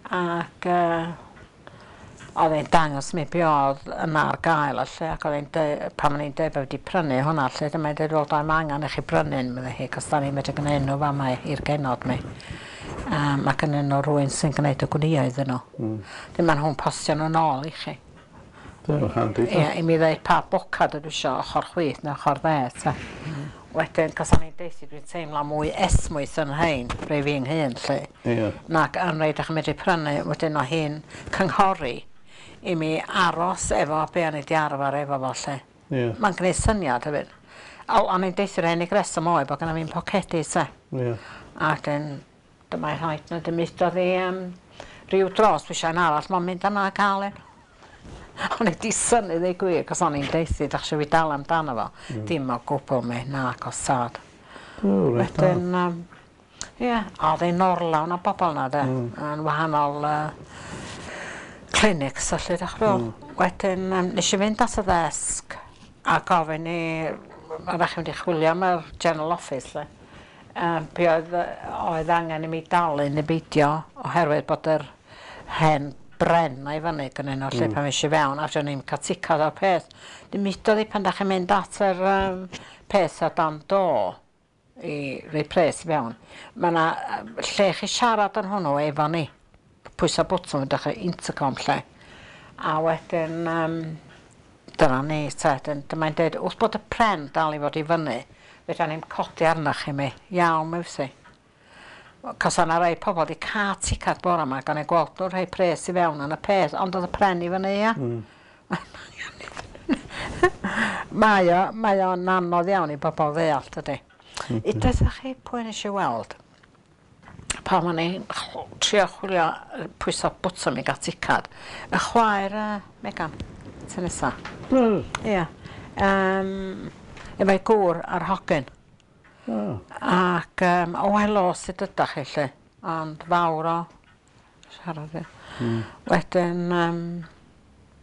Ac oedd e'n dangos mi be oedd yna ar gael a lle, ac oedd e'n deu- pan o'n i'n deud bod wedi prynu hwnna lle, dyma e'n deud, "Wel, doedd angen i chi brynu un," medde hi, "cos da ni'n medru gwneud nhw fama i'r genod mi. Mae gennyn nhw rhywun sy'n gwneud y gwnïo iddyn nhw. Dim maen nhw'n postio nhw nôl i chi." Dyna handi. Ie, i mi ddeud pa bocad ydw isio, ochr chwith neu ochr dde, ta. Wedyn, cos o'n i'n deutha dwi'n teimlo mwy esmwyth yn rhain, rhai fi'n hun, lle. Nac yn rhai dach chi'n medru prynu, wedyn o hi'n cynghori i mi aros efo be o'n i 'di arfer efo fo, lle. Mae'n gwneud syniad hefyd. O, o'n i'n deutha'r unig reswm oedd bod gynna fi'n pocedi, te. A wedyn, dyma'i rhaid na dim udodd i ryw dros, dwi eisiau un arall, mae'n mynd yna a cael un. O'n i 'di synnu ddeu gwir, cos o'n i'n deutha, dach chi fi dal amdano fo. Dim o gwbl mi, na, cos sad. O, reit da. Wedyn, ie, oedd e'n orlawn o bobl na, de, yn wahanol clinics, felly, dach chi'n mm. Wedyn, nes i fynd at y ddesg a gofyn i, oeddech chi'n mynd i chwilio am yr general office, lle. Be oedd angen i mi dalu neu beidio, oherwydd bod yr hen bren na i fyny gynnyn nhw, lle pan es i fewn, a o'n i'n cael ticad o'r peth. Dim udodd i pan da chi'n mynd at yr peth o dan do i roi pres i fewn. Mae yna lle chi siarad yn hwnnw efo ni. Pwysa bwtwm yn dechrau intercom lle. A wedyn, dyna ni, te, dyma'n dweud, wrth bod y pren dal i fod i fyny, fedra ni'n codi arnoch chi mi. Iawn, mi fysi. Cos o'na rai pobl wedi cael ticad bore yma, gan ei gweld nhw'n rhoi pres i fewn yn y peth, ond oedd y pren i fyny, ia. Mae o'n anodd iawn i bobl ddeall, dydy. I dweud chi pwy nes i weld, pan o'n i'n trio chwilio pwyso bwtwm i gael ticad, y chwaer Megan, ty nesa. Ia. Efo'i gŵr a'r hogyn. Ac, o, helo, sut ydach chi, lle? Ond fawr o siarad, ia. Wedyn,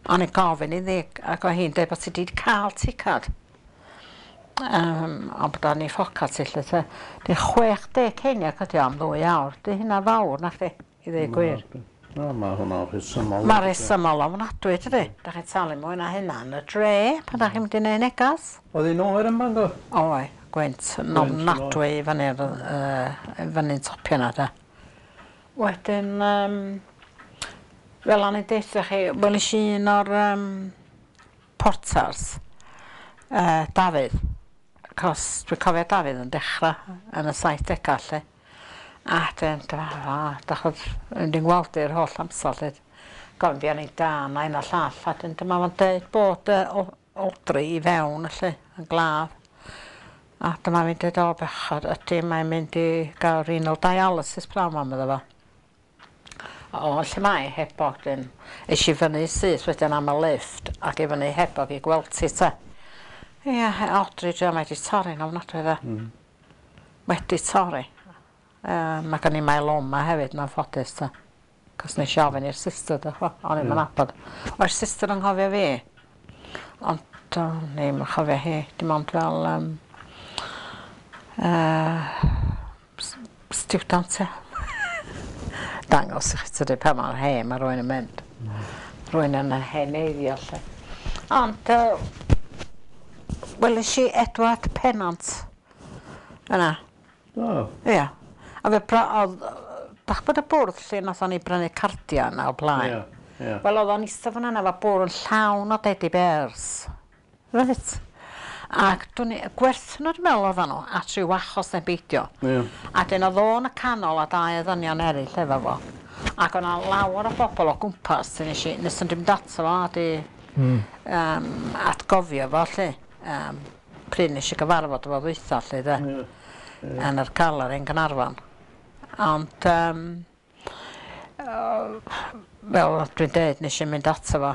o'n i'n gofyn iddi, ac oedd hi'n dweud bod ti wedi cael ticad. Ond bod o'n ei ffocad ti, lle, te. Di 60 ceiniog ydi o am 2 awr. Di hynna fawr, na chdi, i ddweud gwir. Na, mae hwnna'n rhesymol. Mae rhesymol ofnadwy, dydy. Da chi'n talu mwy na hynna yn y dre pan da chi'n mynd i neud negas. Oedd hi'n oer yn Bangor? Oedd, gwynt yn ofnadwy i fyny'r fyny'n topio na, de. Wedyn, fel o'n i'n deutha chi, welis i un o'r porters, Dafydd, cos dwi'n cofio Dafydd yn dechrau yn y 70au, lle. A dyn, dyma, dach yn di'n gweld i'r holl amser, lle. Gofyn fi o'n i da na un a llall, a dyn dyma fo'n deud bod Audrey i fewn, lle, yn glaf. A dyma fi'n dweud, "O bechod, ydy, mae'n mynd i gael renal dialysis pnawn 'ma," medda fo. O, lle mae hebog dyn. Es i fyny syth wedyn am y lift ac i fyny hebog i gweld ti te. Ie, Audrey, dwi mae wedi torri'n ofnadwy dde. Wedi torri. Mae gen i myeloma hefyd, mae'n ffodus te. Cos nes i ofyn i'r sister, dych chi, o'n i'm yn nabod. O'r sister yn nghofio fi. Ond o'n i'm yn chofio hi, dim ond fel student, ia. Dangos i chi tydi pa mor hen mae rhywun yn mynd. Rhywun yn heneiddio lle. Ond weles i Edward Pennant yna. O. Ia. A fe oedd, dach bod y bwrdd lle nathon ni brynu cardia yna o blaen. Ie, ie. Wel, oedd o'n eistedd fan yna efo bwrdd yn llawn o teddy bears. Reit. Ac dwi'n gwerthu nhw dwi'n meddwl oedden nhw, at ryw achos neu beidio. A dyn oedd o'n y canol a dau o ddynion eraill efo fo. Ac o'na lawer o bobl o gwmpas sy'n nes i, nes yn dwi'n ato fo a di atgofio fo lle. Pryd nes i gyfarfod efo ddwytha lle de. Yn yr galeri yn Gaernarfon. Ond fel dwi'n deud, nes i mynd ato fo.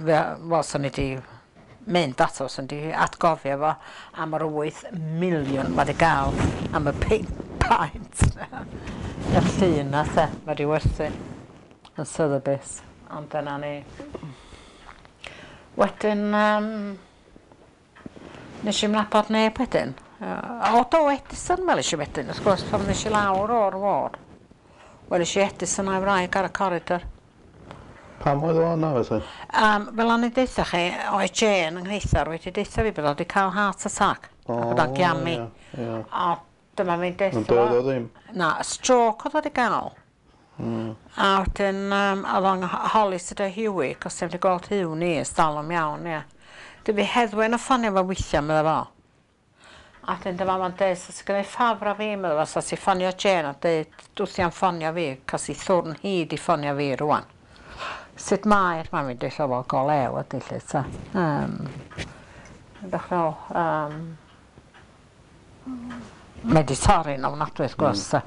Wel, swn i 'di mynd ato fo, swn i 'di atgofio fo am yr 8 miliwn mae 'di gael am y paent. Y llun na te, mae 'di werthu yn Sotheby's. Ond dyna ni. Wedyn, nes i'm nabod neb wedyn. O, do, Edison weles i wedyn, wrth gwrs, pan nes i lawr o'r ward. Weles i Edison a'i wraig ar y coridor. Pam oedd o yna felly? Fel o'n i'n deutha chi, oedd Jane yng nghreithar wedi deutha fi bod o wedi cael heart attack. O, a bod o'n giamu. Ie, ie. A dyma fi'n deutha Ond doedd o ddim. Na, stroke oedd o wedi gael. A wedyn, oedd o'n holi sydd o Huey, cos ddim wedi gweld Huw ni ers dalwm iawn, ie. Dwi fi Heddwen y ffonio fo weithiau, medda fo. A wedyn dyma fo'n deud, sa ti'n gwneud ffafr a fi, medda fo, sa ti'n ffonio Jane a deud, dwthi am ffonio fi, cos i thwrn hi di ffonio fi rwan. Sut mae'r mam i'n deud, wel, go lew ydy, lle, ta. Ydych fel, mae di torri'n ofnadwy, wrth gwrs, ta.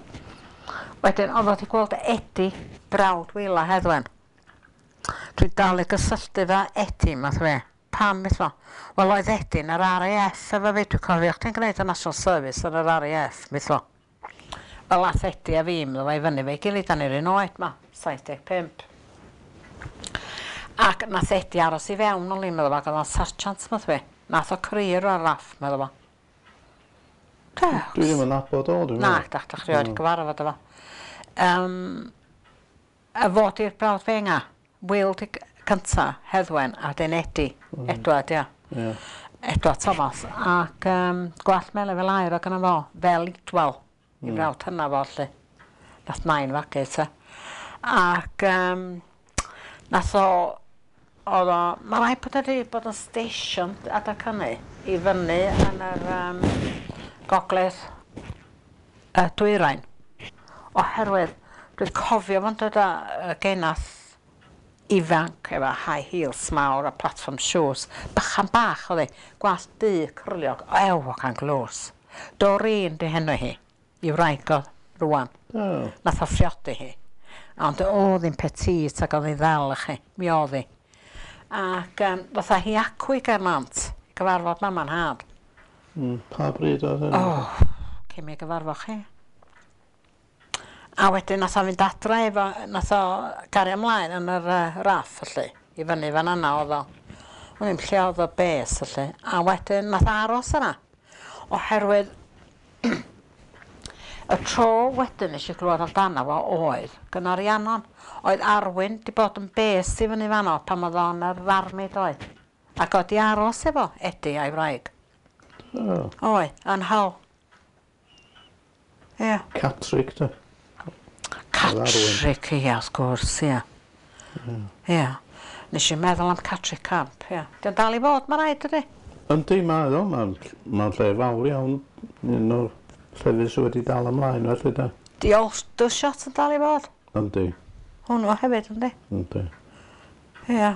Wedyn, oedd o wedi gweld Eddie, brawd Wila Heddwen. Dwi'n dal i gysylltu fo Eddie, math fe. Pam, beth fo? Wel, oedd Eddie yn yr RAF efo fi, dwi'n cofio chdi'n gwneud y National Service yn yr RAF, beth fo. Wel, ath Eddie a fi, medda fo, i fyny fe gilydd, dan ni'r un oed ma, 75. Ac nath Eddie aros i fewn o'n i'n meddwl, ac oedd o'n sergeant, math fe. Nath o career o'r RAF, meddwl fo. Dwi ddim yn nabod o, dwi'n Na, dach dach rioed gyfarfod efo. Y fod i'r brawd fenga, Will di cynta, Heddwen, a dyn Eddie, Edward, ia. Edward Thomas, ac gwallt melyn fel air o gynno fo, fel Idwal, i brawd hynna fo, lle. Nath nain fagu, te. Ac nath o, oedd o, mae rhaid bod wedi bod yn station adag hynny, i fyny yn yr gogledd dwyrain. Oherwydd, dwi'n cofio fo'n dod â genath ifanc efo high heels mawr a platform shoes. Bychan bach oedd hi, gwallt du cyrliog, ew, o can glos. Doreen di henw hi, i wraig o rwan. Oh. Nath o phriodi hi. Ond oedd hi'n petite ac oedd hi'n ddel i chi, mi oedd hi. Ac fatha hi acw i Gernant, i gyfarfod mama'n nhad. Pa bryd oedd hynny? O, cyn mi gyfarfod chi. A wedyn nath o fynd adra efo, nath o gario ymlaen yn yr raff, felly, i fyny fan yna oedd o. O'n i'm lle oedd o bes, felly. A wedyn nath o aros yna. Oherwydd y tro wedyn nes i glywed amdano fo oedd gynna Rhiannon. Oedd Arwyn di bod yn bes i fyny fanno pan oedd o'n yr army doedd. Ac oedd di aros efo Eddie a'i wraig. Oh. Oedd, yn Hull. Ie. Catrick, de. Catrick, ia, wrth gwrs, ia. Ia. Nes i meddwl am Catrick Camp, ia. Dio'n dal i fod, mae rhaid, ydy? Yndi, mae o. Mae'n ma lle fawr iawn. Un o'r llefydd sydd wedi dal ymlaen, felly, de. Di Aldershot yn dal i fod? Yndi, Hwnnw hefyd, yndi? yndi. Ia.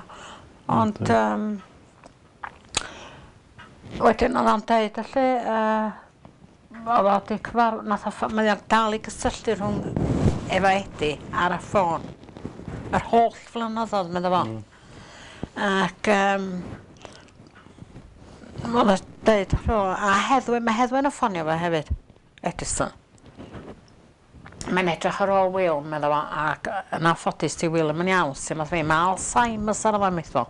Ond, wedyn oedd o'n deud, felly, oedd o di cyfar... Nath o, mae o'n dal i gysylltu rhwng efo Eddie ar y ffôn. Yr holl flynyddoedd, medda fo. Ac oedd o'n deud, a Heddwyn, mae Heddwyn yn ffonio fo hefyd, Edison. Mae'n edrych ar ôl Will, medda fo, ac yn anffodus ti Will yn iawn, sy'n math fi, mae Alzheimer's ar efo metho.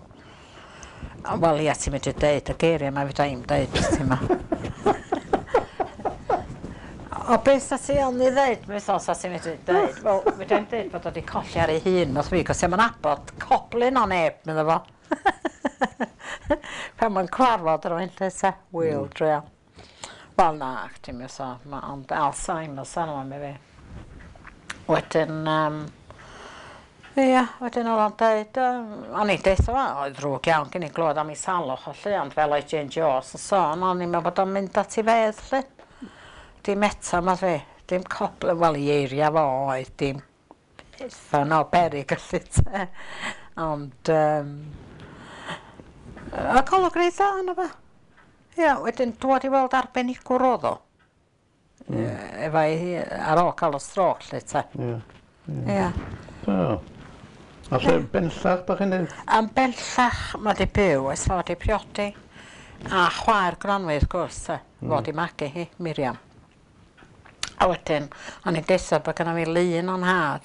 Wel, ia, ti'n medru deud y geiriau ma fedra i'm deud, ti'n ma. O, beth sa ti ond i ddeud, metho, sa ti'n medru deud? Wel, fedra i'm deud bod o wedi colli ar ei hun, math fi, cos i'm nabod coblyn o neb, medda fo. Pan mae'n cwarfod rwy'n lle te, Will, druan. Wel, na, ti'n meddwl, ond Alzheimer's arno fo, mi fi. Wedyn, ia, wedyn oedd o'n deud, o'n i'n deud fo, oedd ddrwg iawn gen i glywed am ei salwch o lle, ond fel oedd Jane Jones yn sôn, o'n i'n meddwl bod o'n mynd at ei fedd, lle. Dim eto, ma fi, dim coble, wel, i eiria fo oedd, dim uffern o berig, felly, te. Ond, y golwg reit dda yna fo. Ia, wedyn dwad i weld arbenigwr oedd o. Efo ei, ar ôl cael y stroke, lle, te. Ie. Ia. O. A lle Benllech, da chi'n dweud? Yn bellach mae di byw ers fod di priodi. A chwaer Gronwy, wrth gwrs, te. Fod i magu hi, Miriam. A wedyn, o'n i'n deutha bod gynna fi lun o'n nhad.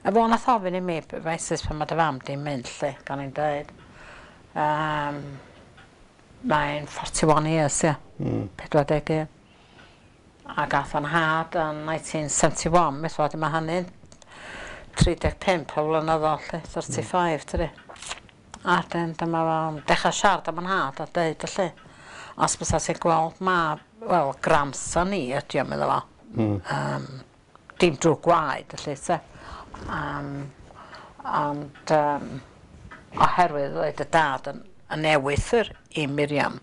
A fo nath ofyn i mi, Francis, pan mae dy fam di'n mynd, lle, gan i'n dweud. Mae'n 41 years, ia. 41. A gath o'n nhad yn 1971, mis fod mae hynny'n 35 o flynyddoedd, 'lly, 35, tydi. A 'dyn dyma fo'n dechra siarad am 'yn nhad a deud felly, os bysa ti'n gweld mab, wel, grandson i ydi o, medda fo. Mm. Dim drwg gwaed, felly, te. Ond oherwydd oedd dy dad yn ewythr i Miriam.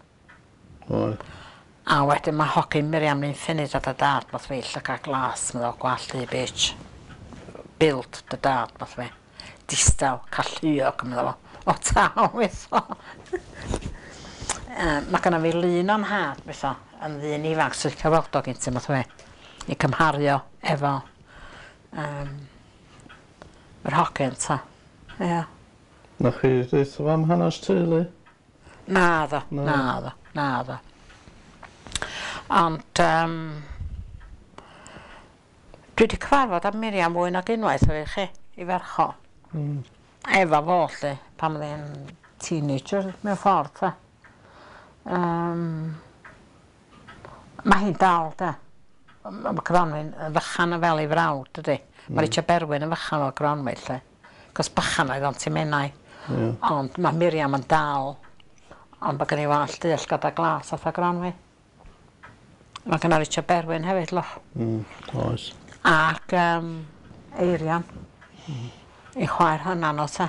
Oedd. A wedyn mae hogyn Miriam ni'n ffunud a dy dad, math fi, llygad glas, medda fo, gwallt du bitch. Build dy dad, math fi. Distaw, calluog, medda fo. O taw, metho. Mae gynna fi lun o'n nhad, metho, yn ddyn ifanc sy'n licio weld o gyn ti, math fi. I cymharu o efo yr hogyn, ta. Ia. Na chi ddeutha fo am hanes teulu? Naddo, naddo, naddo. Ond dwi wedi cyfarfod â Miriam fwy nag unwaith efo chi, i ferch o. Efo fo 'lly, pan oedd hi'n teenager mewn ffordd, ta. Mae hi'n dal, de. Mae Gronwy'n yn fychan yn fel ei frawd, dydy. Mae Richard Berwyn yn fychan fel Gronwy, lle. Cos bychan oedd o'n Menai. Ond mae Miriam yn dal. Ond mae gen i wallt du a llgada glas fatha Gronwy. Mae gen i Richard Berwyn hefyd, loch. Oes. Ac Eirian. I chwaer hynna no te.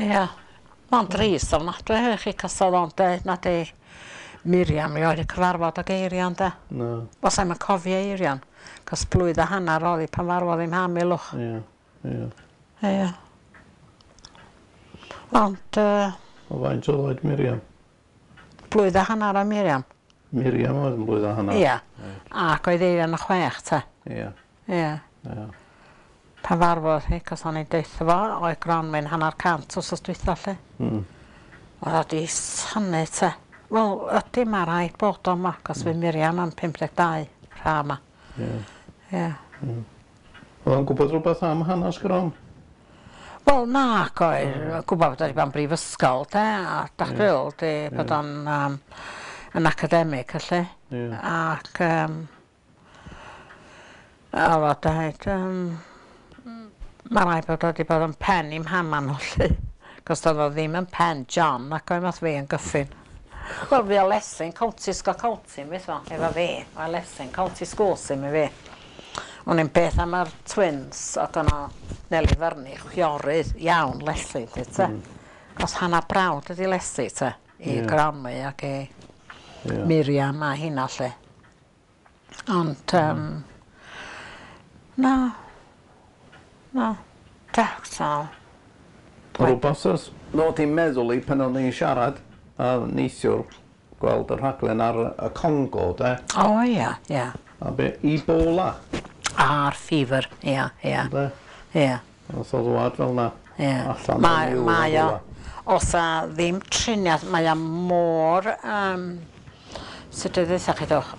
Ia. Mae'n drist ofnadwy hefyd chi, cos oedd o'n deud na di Miriam rioed 'di cyfarfod ag Eirian de. Na. Wel sai'm yn cofio Eirian, cos blwydd a hannar o'dd 'i pan farwodd 'i mham i lwch. Ie, ie. Ie. Ond O faint oedd oed Miriam? Blwydd a hannar o Miriam. Miriam oedd yn blwydd a hannar? Ia. Ac oedd Eirian yn 6 te. Ie. Ie. Ie. Pan farwodd hi, cos o'n i'n deutha fo, oedd Gronwyn 150 wsos dwytha 'lly. Oedd o 'di synnu te. Wel, ydy, mae rhaid bod o 'ma, cos fydd Miriam am 52 rha 'ma. Ie. Ie. Oedd o'n gwybod rhywbeth am hanes Gron? Wel, nac oedd. Gwybod bod o 'di bod yn brifysgol, de, a dach chi'n di bod o'n yn academic, felly. Ie. Ac oedd o deud, mae rhaid bod o 'di bod yn pen i mhama nhw, 'lly. Cos doedd o ddim yn pen John, ac oedd math fi yn gyffin. Wel, fi o Leslie'n County School County, beth o, efo fi. O Leslie'n County School sy'n mi fi. O'n i'n beth am yr twins, ac o'na Nelly Fernie, chwiorydd iawn Leslie, 'lly, te. Cos hannar brawd ydi Leslie, te, i Gronwy ac i Miriam a hynna, 'lly. Ond, na, na, da, Rhywbeth oedd ddod i'n meddwl i pan o'n i'n siarad a neithiwr gweld y rhaglen ar y Congo, de. O, ia, ia. A be, Ebola. A'r fever, ia, ia. De? Ia. Nath o ddwad fel na. Ia. Allan Mae, o'r niwl mae o, rhywle. os a ddim triniaeth, mae o mor, sut dwi ddeutha chi dwch,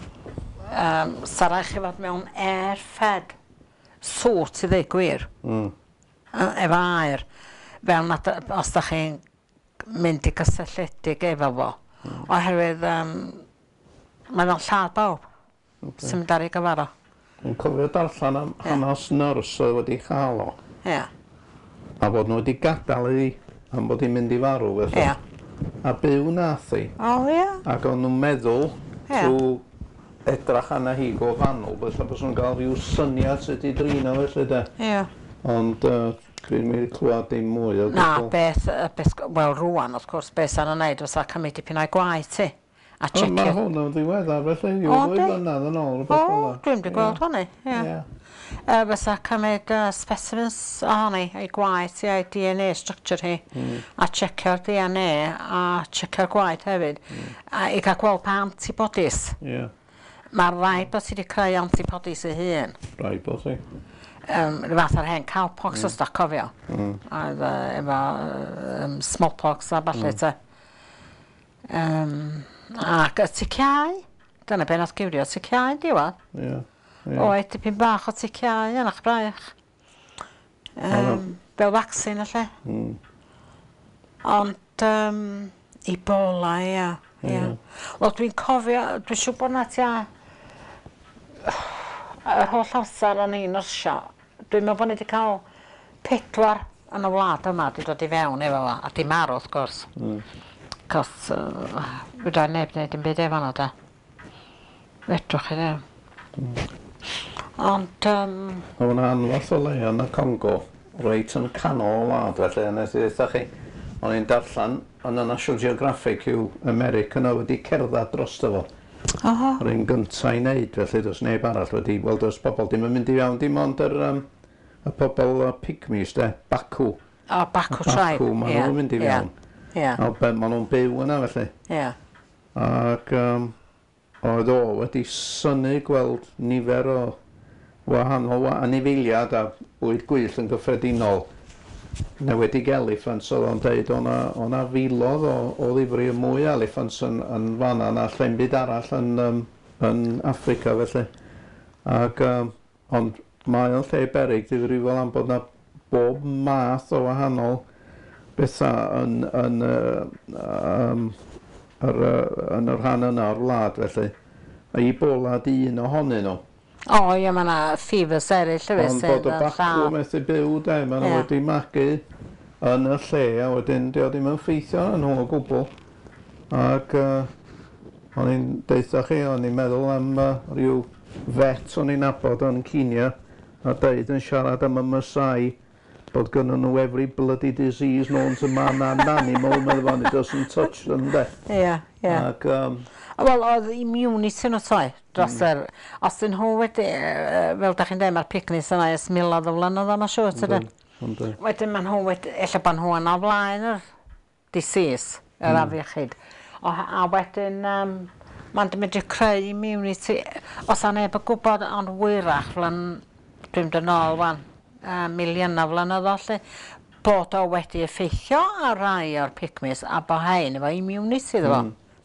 sa raid chi fod mewn air-fed suit i ddweud gwir. Efo aer, fel nad, os da chi'n mynd i gysylltiedig efo fo. Oherwydd mae o'n lladd bawb sy'n mynd ar ei gyfer o. Dwi'n cofio darllen am hanes nyrs oedd wedi chael o. Ia. A bod nhw wedi gadael iddi am bod hi'n mynd i farw felly. Ia. A byw nath hi. O ia. Ac o'n nhw'n meddwl trwy edrach arna hi go fanwl, felly bod nhw'n cael rhyw syniad sut i drin o felly de. Ia. Ond dwi'n mynd i clywed dim mwy o Na, gwbl. beth, wel rŵan wrth gwrs, beth sa'n wneud fysa cymryd dipyn o'i gwaed ti. A O, mae checio. hwn yn ddiweddar felly, ryw O, ddwy yndi? flynedd yn ôl, O, rhywbeth fel 'na. dwi'm 'di gweld hynny, ie. Ie. Fysa cymryd specimens ohoni, ei gwaed hi a'i DNA structure hi, a checio'r DNA a checio'r gwaed hefyd, a i gael gweld pa antibodies. Ie. Mae rhaid bod ti wedi creu antibodies ei hun. Rhaid bod ti. Rhyw fath ar hen cowpox os da cofio. Oedd efo smallpox a ballu te. Ac y ticiau, dyna be nath giwrio ticiau yn diwedd. Ie. Ie. Oedd dipyn bach o ticiau yn eich braich. Fel vaccine felly. Ond Ebola, ia. Ia. Wel, dwi'n cofio, dwi'n siŵr bod na tua yr holl amser o'n i'n nyrsio, Dwi'n meddwl bod ni wedi cael 4 yn y wlad yma wedi dod i fewn efo fo, a di marw wrth gwrs. Cos fedra neb wneud dim byd efo nhw de. Fedrwch chi ddim. Ond Oedd yna anferth o le yn y Congo, reit yn canol y wlad felly, a nes i ddeutha chi, o'n i'n darllen yn y National Geographic yw America yna wedi cerdded drosto fo. Oho. Yr un gynta i wneud, felly does neb arall wedi, wel does pobl dim yn mynd i fewn, dim ond yr, y pobl pygmies de, Baku. O, Baku tribe. Baku, maen nhw'n mynd i fewn. Ie. A be, maen nhw'n byw yna felly. Ie. Ac oedd o wedi synnu gweld nifer o wahanol anifeiliaid a bwyd gwyllt yn gyffredinol. Newedig eliffant, oedd o'n deud o'na filoedd o ddifri mwy eliffants yn fan'na na lle'n byd arall yn Affrica felly. Ac, ond mae o'n lle beryg difrifol am bod na bob math o wahanol bethau yn y rhan yna o'r wlad felly. A Ebola di un ohonyn nhw. O ie, mae yna fevers eraill hefyd Ond sydd bod y yn bacw lladd. methu byw de, maen nhw wedi magu yn y lle a wedyn dio ddim yn ffeithio yn nhw o gwbl. Ac o'n i'n deutha chi, o'n i'n meddwl am rhyw vet o'n i'n nabod yn Kenya a deud yn siarad am y Maasai bod gynnon nhw every bloody disease known to man and animal, meddwl fo, and it doesn't touch them, de. Ie, ie. Ac, Wel, oedd immunity nhw toi, dros yr... Os dyn nhw wedi, fel da chi'n dweud, mae'r picnics yna ers miloedd o flynyddoedd, mae'n siŵr, tydyn? Yndyn. Wedyn maen nhw wedi, ella bod nhw yna o flaen yr disease, yr afiechyd. A wedyn, mae'n medru creu immunity. Os a neb yn gwybod, ond wyrach, dwi'n mynd yn ôl wan, miliynau flynyddoedd, lle, bod o wedi effeithio ar rai o'r pygmies a bod hein efo immunity iddo fo.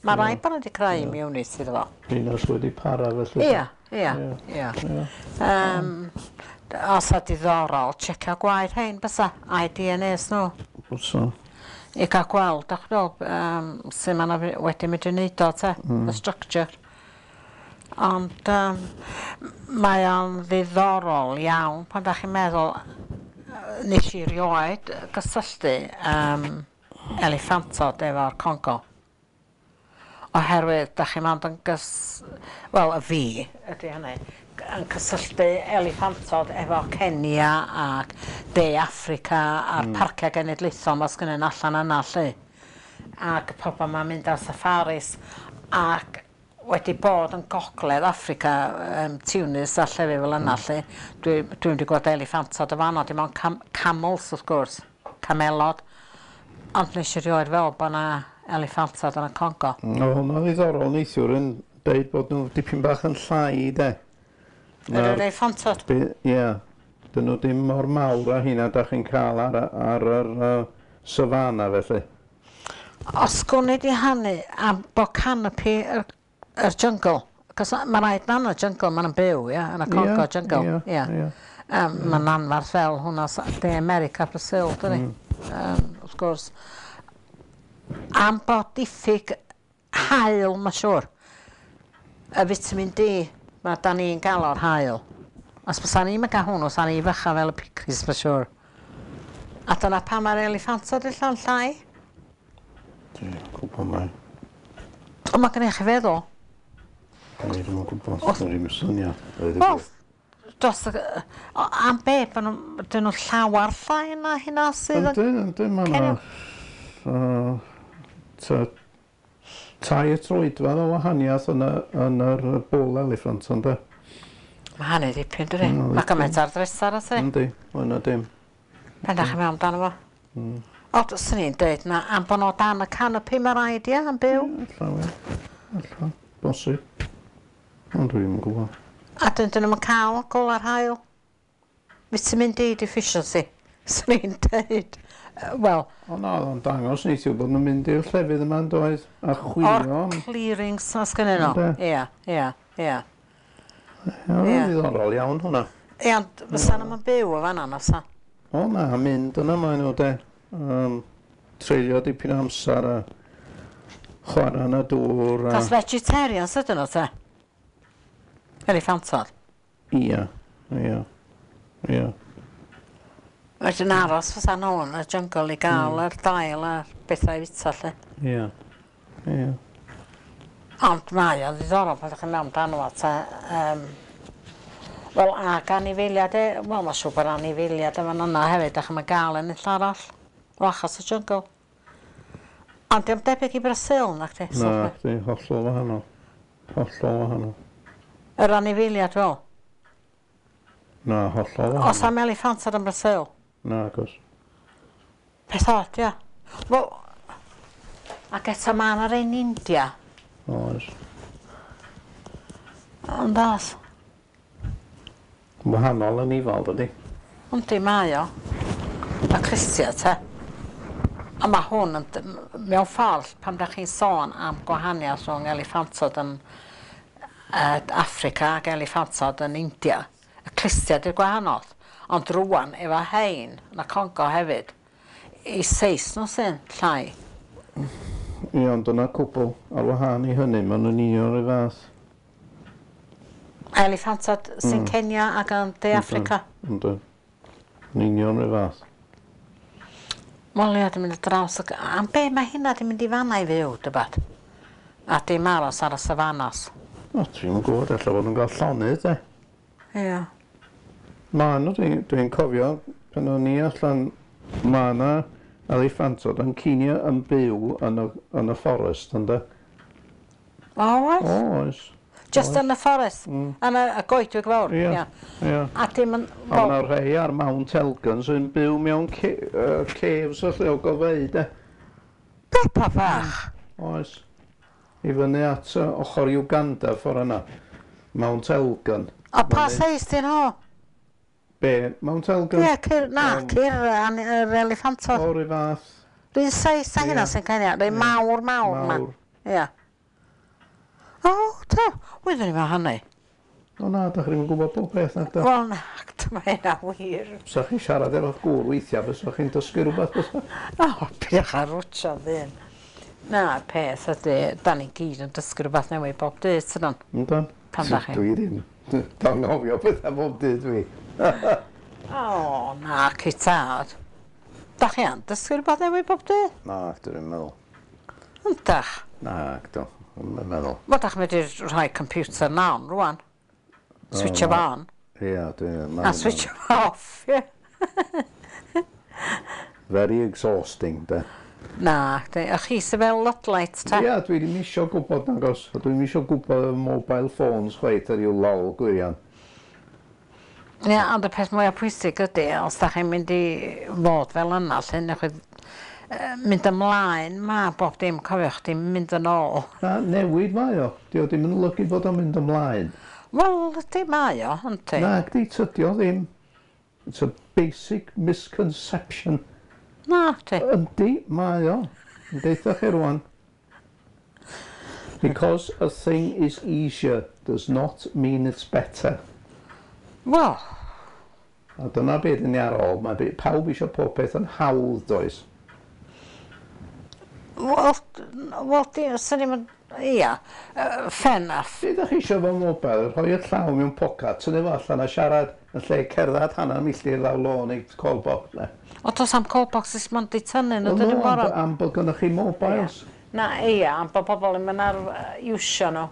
Mae rai bod nhw wedi creu immunity iddo fo. Rheina sy wedi para felly. Ie, ie, ie. Os o diddorol, checio gwaed hein bysa, a'i DNAs nhw. Bysa. I gael gweld, dach chi'n meddwl, sut ma' nhw wedi mynd i wneud o te, y structure. Ond mae o'n ddiddorol iawn pan dach chi'n meddwl, nes i rioed gysylltu eliffantod efo'r Congo. Oherwydd dach chi'n mond yn wel, y fi ydy hynny, yn cysylltu eliffantod efo Kenya ac De Affrica a'r parciau genedlaethol ma' sgynnyn allan yna lly. Ac pobl ma'n mynd ar safaris ac wedi bod yn gogledd Affrica, Tunis a llefydd fel yna lly. Dwi wedi gweld eliffantod o fanno, dim ond camels wrth gwrs, camelod. Ond nes i rioed fel bod 'na eliffantod yn y Congo. O, hwnna'n ddiddorol neithiwr yn deud bod nhw dipyn bach yn llai, de. Yr eliffantod? Ie. Dyn nhw dim mor mawr â hynna dach chi'n cael ar yr savanna felly. Os gwn i di hynny am bod canopy yr jungle, cos mae rhaid na yn y jungle, maen nhw'n byw, ie, yn y Congo jungle, ie. Mae'n anferth fel hwnna De America, Brazil, dydi? Wrth gwrs. Am bod diffyg haul, mae'n siŵr. Y vitamin D, mae da ni'n gael o'r haul. Os bysa ni'n cael hwnnw, sa ni fycha fel y picris, mae'n siŵr. A dyna pam mae'r eliffantod yn llawn llai. Dwi'n gwybod mai. Ond mae gennych chi feddwl. Dwi ddim yn gwybod, dwi ddim yn syniad. Wel, dros y, o, am be, bod nhw, dyn nhw llawar llai na hynna sydd yn Yndyn, yndyn, ma' 'na, 3 troedfedd o wahaniaeth yn yr bull elephant, ynde? Mae hynny dipyn, dydi? Mm, Mae gymaint ar ddresar, oes e? Yndi, mwy na dim. Pan dach chi'n meddwl amdano fo? O, swn i'n deud na, am bod nhw dan y canopy mae rhaid, ie, am byw. Ella, ie. Ella, bosib. Ond dwi ddim yn gwybod. A dyn nhw'n cael gola'r haul. Vitamin D deficiency, swn i'n deud. Wel... O na, oedd o'n dangos neithiwr bod nhw'n mynd i'r llefydd yma yn doedd, a chwilio O'r am clearings na sgynnyn nhw. Ynde? Ie, ie, ie. Ie, oedd o'n ddiddorol iawn hwnna. Ie, ond fysa nhw'm yn byw o fan'na, na fysa? O na, mynd yna maen nhw de. Treulio dipyn o amser a chwarae yn y dŵr a Cos vegetarians ydyn nhw te? Eliffantod? Ie, ie, ie. Wedyn aros fysa nhw yn y jungle i gael yr dail a'r bethau i fita 'lly. Ia. Ia. Ond mae o'n ddiddorol pan 'dach chi'n mewn dan fo te yym wel ag anifeiliad e wel ma' siŵr bod anifeiliad yn fan yna hefyd 'dach chi'm yn ga'l yn unlle arall. O achos y jungle. Ond dio'm debyg i Brasil nacdi? Na, chdi, hollol wahanol. Hollol wahanol. Yr anifeiliad wel. Na, hollol wahanol. O's am eliffantod yn Brasil? Nag o's. Peth od ia? Wel ac eto ma' 'na rei yn India. Oes. Ond o's. Wahanol anifail dydi? Yndi mae o. Y clustia te. A ma' hwn yn mewn ffordd pan 'dach chi'n sôn am gwahaniath rhwng eliffantod yn yy Affrica ag eliffantod yn India, y clustia 'di'r gwahanol. Ond rŵan efo rhein yn y Congo hefyd, 'u seis nhw sy'n llai. Ie ond dyna cwbl ar wahân i hynny ma' nw'n union 'r un fath. Eliffantod sy'n Kenya ac yn De Affrica. Yndyn. Yn union 'r un fath. Wel ia 'di mynd ar draws y am be' mae hynna 'di mynd i fan 'na i fyw dybad? A dim aros ar y safanas. O dwi'm yn gwbod ella fod nw'n ga'l llonydd 'de? Ia. Ma' n'w dwi dwi'n cofio pan o'n i allan ma' 'na eliffantod yn Kenya yn byw yn y yn y fforest ynde? O oes? Oes. Jyst yn y fforest? Yn y y goedwig fawr? Ia. Ia. A dim yn... A ma' 'na rhei ar Mount Elgon sy'n byw mewn caves felly o gofeu 'de? Peppa bach! Oes. I fyny at ochr Uganda ffor yna. Mount Elgon. A pa seis 'di nhw? Be? Mount Elgon? Ie, cyr, na, cyr yr eliffantod. O, 'run fath. Run seis a hynna sy'n Kenya, rei mawr mawr 'ma. Mawr. Ia. O, do, wyddwn i'm o hynny. O na, dach chi ddim yn gwybod bob peth nag 'da? Wel na, mae hynna wir. Sa chi'n siarad efo'ch gŵr weithiau, fysa chi'n dysgu rhywbeth fysa? O, peidiwch â rwtio ddyn. Na, peth ydy, da ni gyd yn dysgu rhywbeth newydd bob dydd, tydan? Yndan. Pan dach chi? Dwi ddim. Dwi'n anghofio pethau bob dydd dwi. O, na, ci tad. Da chi yn dysgu rhywbeth newydd bob dydd? Na, dwi ddim yn meddwl. Yndach? Na, dwi ddim yn meddwl. Wel, dach chi'n medru rhoi computer nawn rwan. Switch o on. Ia, dwi'n... A switch o off, ie. Very exhausting, de. Na, a chi sy fel Ludlite, ta? Ia, dwi ddim isio gwybod nagos. A dwi'm isio gwybod y mobile phones chwaith ar ryw lol gwirion. Ia, ond y peth mwyaf pwysig ydy, os da chi'n mynd i fod fel yna, lle newch chi mynd ymlaen, ma' bob dim, cofiwch, dim mynd yn ôl. Na, newid mae o. Dio ddim yn olygu bod o'n mynd ymlaen. Wel, ydy mae o, yndi. Na, gdi, tydi o ddim. It's a basic misconception. Na, di. Yndi, mae o. Yn deutha chi rwan. Because a thing is easier does not mean it's better. Wel. A dyna beth yn ni ar ôl. Mae pawb eisiau pob peth yn hawdd, does? Wel, swn i'm yn... Ia, fair enough. Be ydych chi eisiau fo mobile? Rhoi y llaw mewn pocad, tynnu fo allan a siarad yn lle cerdded hanner milltir lawr lôn i call box. Ne? O, does am call boxes mond i tynnu nhw, dyn nhw'n gorau. Am bod gynnoch chi mobiles. Na, ia, am bod pobl yn mynd ar iwsio nhw.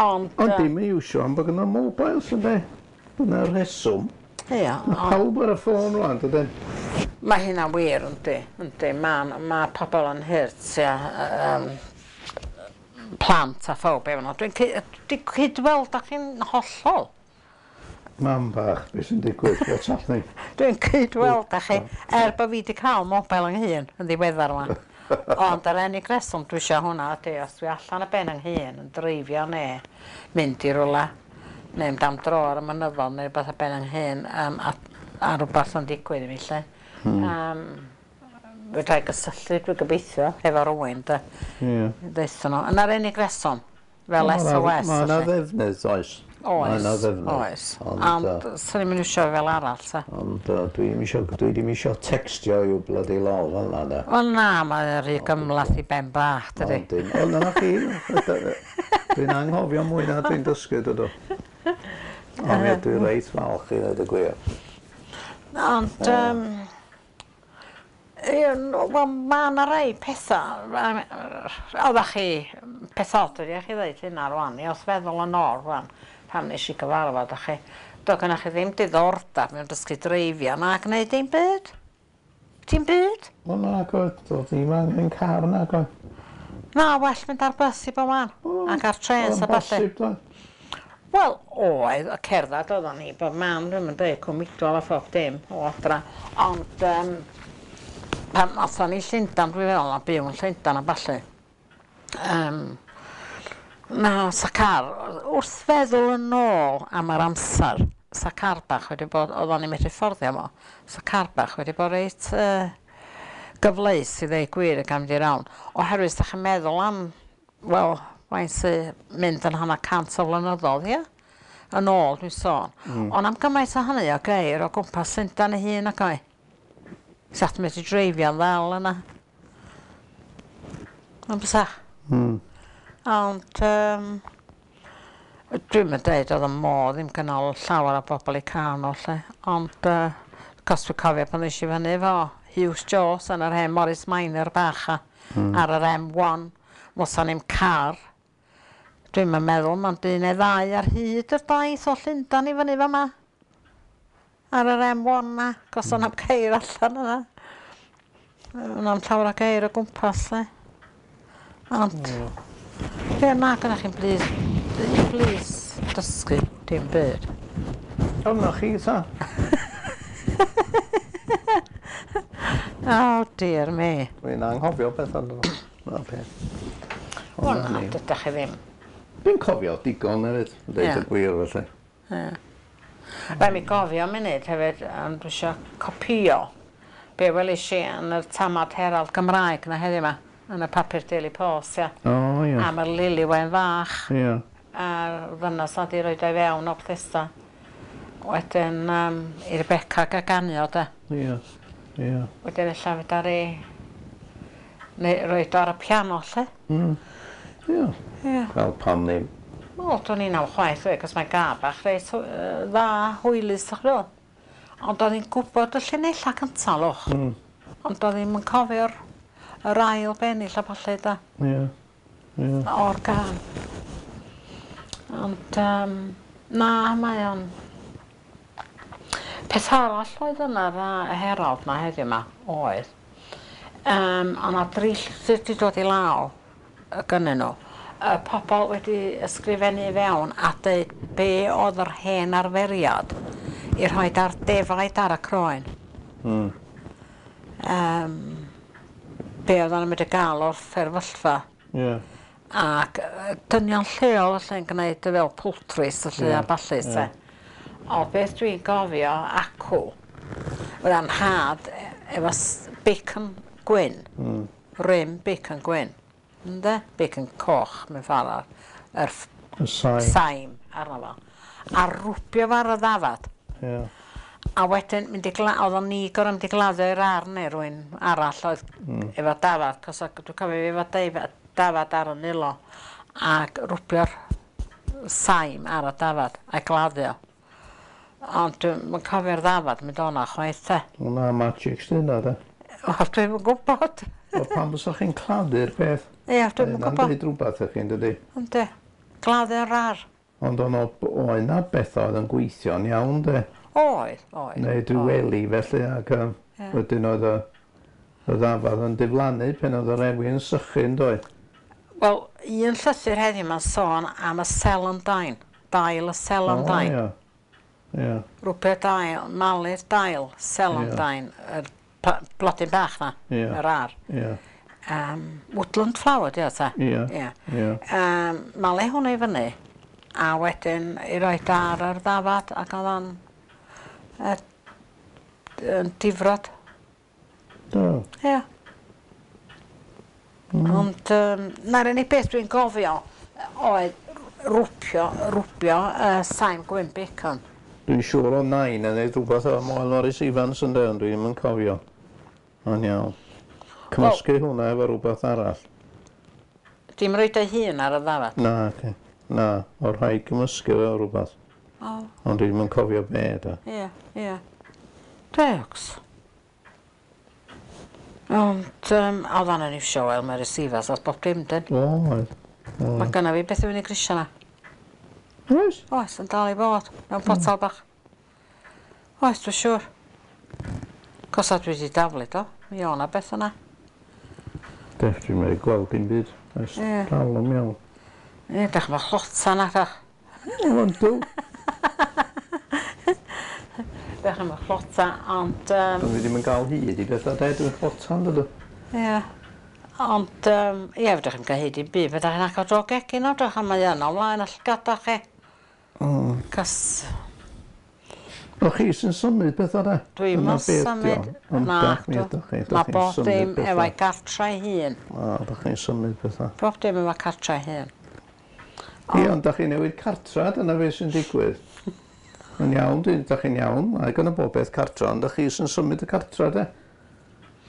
Ond dim yn iwsio, am bod gynno mobiles, ynddi? Dyna'r rheswm. Ia. Mae pawb ar y ffôn rwan, dydyn? Mae hynna'n wir, yndi. Yndi, mae pobl yn hurt, ia. Plant a phawb efo nhw. Dwi'n cydweld â chi'n hollol. Mam bach, beth sy'n digwydd? What's happening? Dwi'n cydweld â chi, er bod fi wedi cael mobile yng nghyn yn ddiweddar yma. Ond yr unig reswm dwi eisiau hwnna ydy, os dwi allan y ben yng nghyn yn dreifio neu mynd i rywle, neu mynd am dro ar y mynyddon neu rhywbeth ar ben yng nghyn, a rhywbeth yn digwydd i mi lle. Fedra i gysylltu, dwi'n gobeithio, efo rywun, de. Ie. Deutha nhw. Yna'r unig reswm, fel SOS. Mae yna ddefnydd, oes. Oes, Mae yna ddefnydd. Oes. Ond swn i'm yn iwsio fel arall, ta. Ond dwi ddim isio textio i'w bloody lol fel yna, de. Wel na, mae'n rhy gymhleth i ben bach, dydi. Ond na chi, dwi'n anghofio mwy na dwi'n dysgu, dydw. Ond ie, dwi'n reit falch i ddweud y gwir. Ond, Ie, wel, mae yna rai pethau, oeddech chi, peth od ydi chi ddeud hynna rwan, i wrth feddwl yn ôl rwan, pan nes i gyfarfod â chi, doedd gennych chi ddim diddordeb mewn dysgu dreifio na gwneud dim byd. Dim byd. Wel nag oedd, doedd ddim angen car nag oedd. Na, well mynd ar bus i bob man, ac ar trens a ballu. Bosib, doedd. Wel, oedd, y cerdded oeddan ni bob man, dwi'm yn deud Cwm Idwal a phob dim o adra, ond pan athon ni i Llundan, dwi'n feddwl, a byw yn Llundan a ballu, na, sa car, wrth feddwl yn ôl am yr amser, sa car bach wedi bod, oeddan ni'n medru fforddio fo, sa car bach wedi bod reit gyfleus i ddeud gwir ac am mynd i rawn, oherwydd os 'dach chi'n meddwl am, wel, faint sy mynd yn hanner cant o flynyddoedd, ia? Yn ôl, dwi'n sôn. Ond am gymaint o hynny o geir o gwmpas Llundain ei hun ac oe. Sa chdi'n medru dreifio'n ddel yna. Ond bysa? Ond dwi'm yn deud oedd y modd ddim gynnal llawer o bobl i car nhw 'lly, ond cos dwi'n cofio pan ddes i fyny efo Hughes Jones yn yr hen Morris Minor bach a ar yr M1, mosa ni'm car. Dwi'm yn meddwl mond un neu ddau ar hyd yr daith o Llundain i fyny fama. Ar yr M1 na, cos o'na ceir allan yna. O'na'm llawer o geir o gwmpas 'lly. Ond be na gynnach chi'n blis, blis dysgu dim byd. O, na chi ta. Oh dear me. Dwi'n anghofio pethau dwi. Na peth. Wel na, dydach chi ddim. Dwi'n cofio digon hefyd, deud y gwir felly. Ie. Rhaid mi gofio munud hefyd, ond dwi isio copïo be welis i yn yr Tamad Herald Gymraeg 'na heddiw 'ma, yn y papur Daily Post, ia. O ie. Am y Lili Wen fach. Ie. A'r ddynas 'na 'di roid o i fewn o Bethesda. Wedyn i Rebecca Gaganio de. Ie. Ie. Wedyn ella fedar i neu roid o ar y piano 'lly. Ie. Ie. Wel pam ddim. Wel dwn i'm chwaith we, 'cos mae'n gân bach reit dda, hwylus dach ch'mo'. Ond o'dd 'i'n gwbod y llinella cynta lwch. Ond o'dd 'i'm yn cofio'r yr ail bennill a ballu de. Ie. Ie. O'r gân. Ond na mae o'n Peth arall oedd yn yr Herald 'ma heddiw 'ma oedd o' 'na dri llythyr 'di dod i law gynnyn nhw. Y pobl wedi ysgrifennu i fewn a deud be oedd yr hen arferiad i rhoid ar defaid ar y croen. Be oedden nhw'n mynd i gael o'r fferyllfa. Ie. Ac dynion lleol felly'n gwneud fel poultries felly a ballu te. O beth dwi'n gofio acw, oedd nhad efo bacon gwyn, rim bacon gwyn, ynde? Bacon coch mewn ffordd, yr Y saim. Saim arno fo. A rwbio fo ar y ddafad. Ie. A wedyn mynd i oedd o'n ni gorfod mynd i gladdu i'r arn neu rywun arall oedd efo dafad, cos dwi'n cofio fi efo dafad ar y nilo, ac rwbio'r saim ar y dafad a'i gladdu o. Ond dwi'm yn cofio'r ddafad mynd o'na chwaith te. Wel na, magic sydd yna de. Wel, dwi'm yn gwybod. Wel, pam fysa chi'n claddu'r peth? Ie, dwi'm yn Hynna'n gwybod. deud rhywbeth i chi, dydi? Yndi. Gladdu'r ar. Ond o'n oedd 'na bethau oedd yn gweithio'n iawn, de. Oedd, oedd. Neu dwi wely felly, ac wedyn oedd y ddafad yn diflannu pen oedd yr ewi yn sychu, yn doedd? Wel, un llythyr heddiw ma'n sôn am y celandine, dail y celandine. O, ie. Ie. Rwbio dail, malu'r dail, celandine, yr blodyn bach na, yr ar. Ie. Woodland flower, di o ta? Ie. Ie. Ie. Malu hwnna i fyny, a wedyn i roid ar yr ddafad, ac oedd o'n difrod. Do. Ie. Ond na'r unig beth dwi'n gofio oedd rwbio saim gwyn bacon. Dwi'n siŵr o nain yn neud rhywbeth efo Moel Morris Evans yn de, ond dwi ddim yn cofio. Ond iawn. Cymysgu hwnna efo rhywbeth arall. Dim roid ei hun ar y ddafad? Na, ci. Na, o rhaid cymysgu efo rhywbeth. O. Ond dwi ddim yn cofio be, de. Ie, ie. Degs. Ond oedd o'n iwsio Elmer receivers at bob dim, dyn. O, oedd. Mae gynna fi beth i fyny grisia na. Oes? Oes, yn dal i fod, mewn potel bach. Oes, dwi'n siŵr. Cos a dwi wedi daflu do. Mi o' 'na beth yna. Dech, dwi'n meddwl gweld dim byd. Ers dal yn iawn. Ie, dach chi'n chlota na, dach. O, yndw. Dach chi'n chlota, ond... Dwi ddim yn cael hyd i bethau, de, dwi'n chlota'n dydw. Ie. Ond, ie, fedrwch chi'm cael hyd i'n byd, fedrwch chi'n agor drwy'r gegin o, drych, a mae yna o flaen y llygada chi. Cos... O chi sy'n symud pethau de? Dwi'm yn symud. Na, mae bob dim efo'i gartre ei hun. O, da chi'n symud pethau. Bob dim efo cartre ei hun. Ie, ond da chi'n newid cartra, dyna beth sy'n digwydd. Yn iawn, da chi'n iawn, mae gan y bob beth cartra, ond da chi sy'n symud y cartra, de.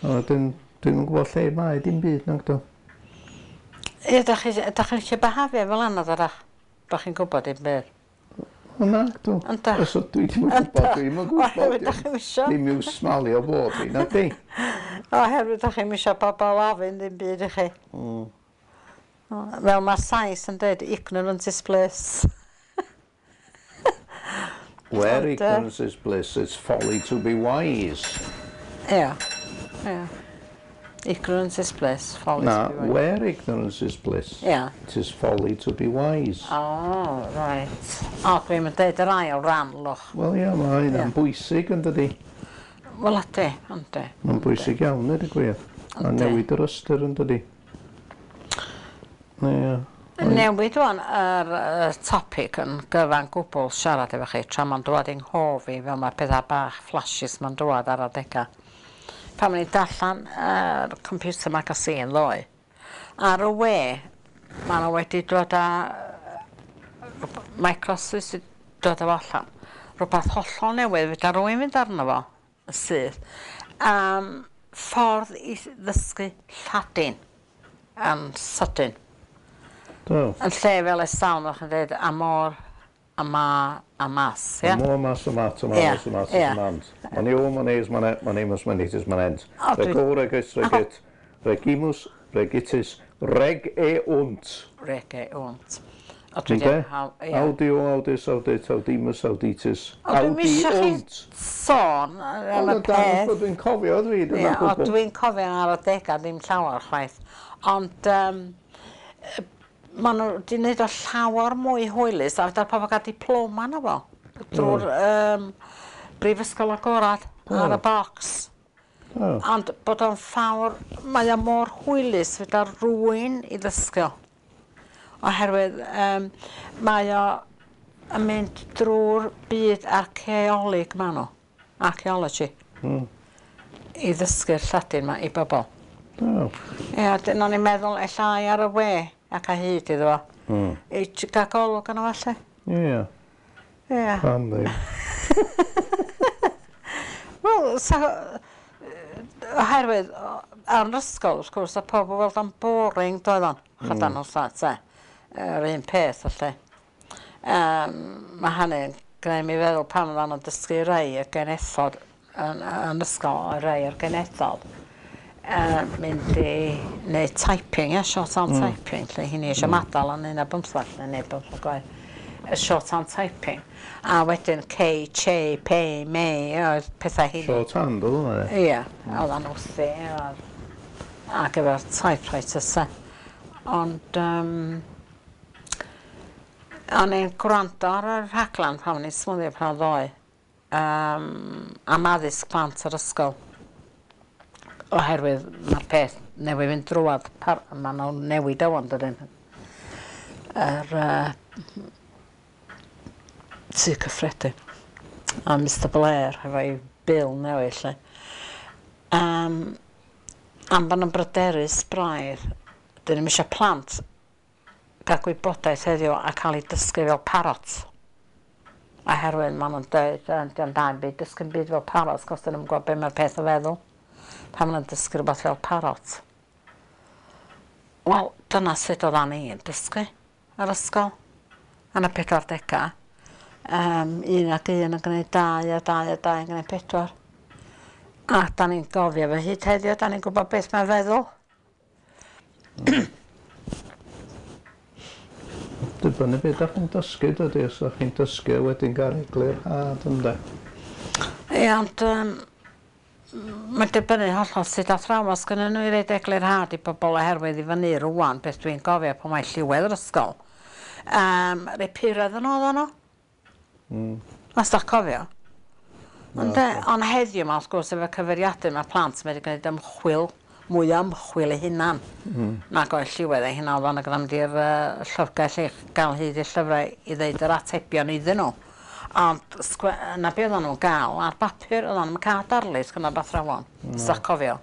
A wedyn, dwi'm yn gwybod lle mae dim byd, nag do. Ie, da chi'n lle behafio fel yna, dydach? Bo chi'n gwybod dim byd. O na, dw. Ynda. Os dwi ddim yn gwybod, dwi'm yn gwybod. Oherwydd da chi'm isio. Ddim i'w smalio bob fi, na di. Oherwydd da chi'm isio pobl ofyn ddim byd i chi. Fel mae'r Sais yn dweud, ignorance is bliss. Where ignorance is bliss, it's folly to be wise. Ie, ie. Ignorance is bliss, folly to be wise. Na, where ignorance is bliss, it is folly to be wise. O, right. O, dwi'n mynd deud yr ail ran, lwch. Wel ie, mae hynna'n bwysig yn dydi. Wel ydy, yndi. Mae'n bwysig iawn, dweud y gwir. A newid yr ystyr yn dydi. Ie. Newid wan yr topic yn gyfan gwbl siarad efo chi, tra mae'n dŵad i'n nghof i fel mae pethau bach flashes mae'n dŵad ar adegau. Pan o'n i'n darllen yr Computer Magazine ddoe, ar y we, maen nhw wedi dod â Microsoft wedi dod â fo allan. Rhywbeth hollol newydd, fedra rywun fynd arno fo, yn syth. Ffordd i ddysgu Lladin yn sydyn. Do. Yn lle fel ers talwm, o'ch chi'n dweud amor, ama, amas, ie? Amor, mas, amat, amanos, amat, amant. Manio, manes, manet, manemus, manetis, manent. Rego, regis, regit, regimus, regitis, reg e unt. Reg e unt. Ynde? Audio, audis, audit, audimus, auditis, Dwi'm isio chi sôn am y peth. Dwi'n cofio dwi, dyna gwbl. Dwi'n cofio ar adegau ddim llawer chwaith. Ond maen nhw wedi gwneud o llawer mwy hwylus a fedar pobl gael diploma na fo drwy'r Brifysgol Agorad ar y bocs. Ond bod o'n ffawr, mae o mor hwylus fedar rywun i ddysgu o. Oherwydd mae o yn mynd drwy'r byd archaeolig maen nhw, archaeology, i ddysgu'r Lladin ma i bobl. Ie, dyna o'n i'n meddwl ella ai ar y we ac a hyd iddo fo. I gael golwg arno fo ella. Ie. Ie. Pam ddim? Wel, oherwydd ar yr ysgol, wrth gwrs, oedd pobl weld o'n boring, doedd o'n. Chydan nhw'n llat, te. Yr un peth, felly. Mae hynny'n gwneud mi feddwl pan oedden nhw'n dysgu rhai y genethod yn ysgol, a rhai o'r genethod, mynd i wneud typing, ie, shorthand typing, lle hynny eisiau madal yn 11 neu 15 gwaith. Shorthand typing. A wedyn K, Ch, P, M, oedd pethau hynny. Shorthand oedd hwnna, ie? Ie, oedd o'n wrthi, ac efo'r typewriter, se. Ond, o'n i'n gwrando ar y rhaglen pan o'n i'n smwddio pan ddoe, am addysg plant yr ysgol. Oherwydd mae'r peth newydd fynd drwad, maen nhw'n newid o wan, dydyn. Yr Tŷ Cyffredin. A Mr Blair efo'i bil newydd, lle. Am bod nhw'n bryderus braidd, dyn nhw'm eisiau plant gael gwybodaeth heddiw a cael ei dysgu fel parrot. Oherwydd maen nhw'n dweud, dio'm da i'm byd, dysgu'n byd fel parrot, cos dyn nhw'm gwybod be mae'r peth yn feddwl. Pan maen nhw'n dysgu rhywbeth fel parrot. Wel, dyna sut oeddan ni yn dysgu ar ysgol. Yn y 40au. 1 ac 1 yn gwneud 2 a 2 a 2 yn gwneud 4. A da ni'n gofio fe hyd heddiw, da ni'n gwybod beth mae'n feddwl. Dibynnu beth dach chi'n dysgu dydi os dach chi'n dysgu a wedyn gael eglurhad ynde? Ie ond yym mae'n dibynnu hollol sut athrawon sgynnyn nhw i roid eglurhad i bobl oherwydd i fyny rŵan beth dwi'n gofio pan mae lliwedd yr ysgol. Rei puredd yn oeddan nhw. Os dach cofio. Ond ond heddiw 'ma wrth gwrs efo cyfeiriadur ma' plant medru gneud ymchwil mwy o ymchwil eu hunan. Nag oedd lliwedd eu hunan o'dd o'n mynd i'r llyfrgell i gael hyd i'r llyfrau i ddeud yr atebion iddyn nhw. Ond 'na be oeddan nhw'n gael ar bapur, oeddan nhw'm yn cael darlith gan yr athrawon, os dach cofio.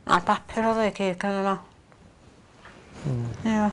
Ar bapur oedd o i gyd gynnyn nhw. Ia.